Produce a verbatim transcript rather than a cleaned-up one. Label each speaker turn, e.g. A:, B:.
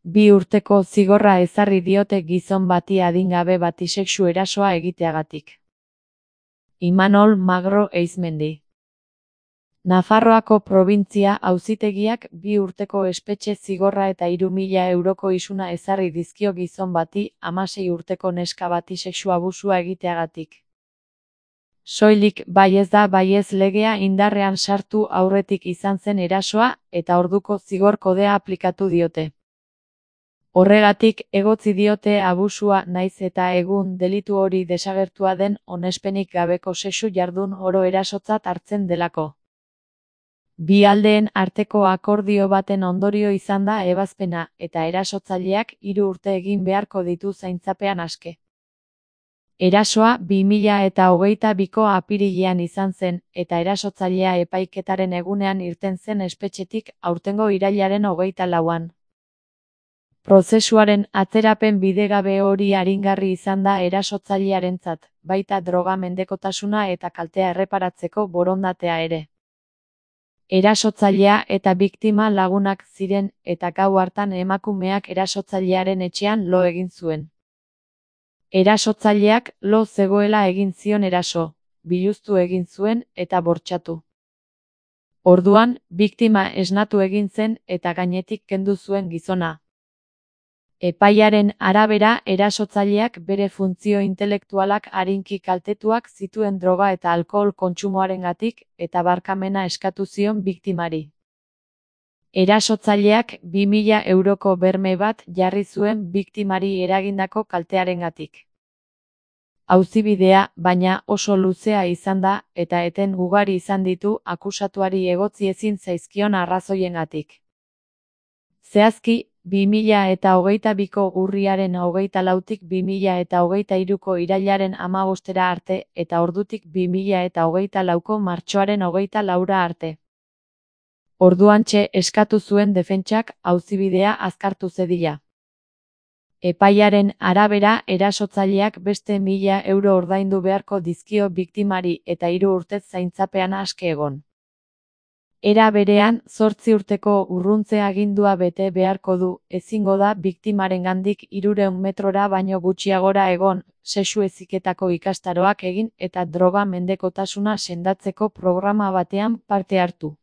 A: Bi urteko zigorra ezarri diote gizon bati adingabe bati sexu erasoa egiteagatik. Imanol Magro Eizmendi. Nafarroako probintzia auzitegiak bi urteko espetxe zigorra eta hiru mila euroko isuna ezarri dizkio gizon bati hamasei urteko neska bati sexu abusua egiteagatik. Soilik baiez da baiez legea indarrean sartu aurretik izan zen erasoa eta orduko zigor kodea aplikatu diote. Horregatik egotzi diote abusua naiz eta egun delitu hori desagertua den onespenik gabeko sexu jardun oro erasotzat hartzen delako. Bi aldeen arteko akordio baten ondorio izan da ebazpena eta erasotzaileak hiru urte egin beharko ditu zaintzapean aske. Erasoa bi mila eta hogeita biko apirilean izan zen eta erasotzailea epaiketaren egunean irten zen espetxetik aurtengo irailaren hogeita lauan. Prozesuaren atzerapen bidegabe hori aringarri izan da erasotzailearentzat, baita droga mendekotasuna eta kaltea erreparatzeko borondatea ere. Erasotzailea eta biktima lagunak ziren eta gau hartan emakumeak erasotzailearen etxean lo egin zuen. Erasotzaileak lo zegoela egin zion eraso, biluztu egin zuen eta bortxatu. Orduan, biktima esnatu egin zen eta gainetik kendu zuen gizona. Epaiaren arabera erasotzaileak bere funtzio intelektualak arinki kaltetuak zituen droga eta alkohol kontsumoarengatik eta barkamena eskatu zion biktimari. Erasotzaileak bi mila euroko berme bat jarri zuen biktimari eragindako kaltearengatik. Auzibidea, baina, oso luzea izan da eta eten ugari izan ditu akusatuari egotzi ezin zaizkion arrazoiengatik. Zehazki, bi mila eta hogeita biko urriaren hogeita lautik bi mila eta hogeita hiruko irailaren hamabostera arte eta ordutik bi mila eta hogeita lauko martxoaren hogeita laura arte. Orduantxe eskatu zuen defentsak auzibidea azkartu zedila. Epaiaren arabera erasotzaileak beste mila euro ordaindu beharko dizkio biktimari eta hiru urtez zaintzapean aske egon. Era berean, zortzi urteko urruntze agindua bete beharko du, ezingo da biktimarengandik hirurehun metrora baino gutxiagora egon, sexu heziketako ikastaroak egin eta droga mendekotasuna sendatzeko programa batean parte hartu.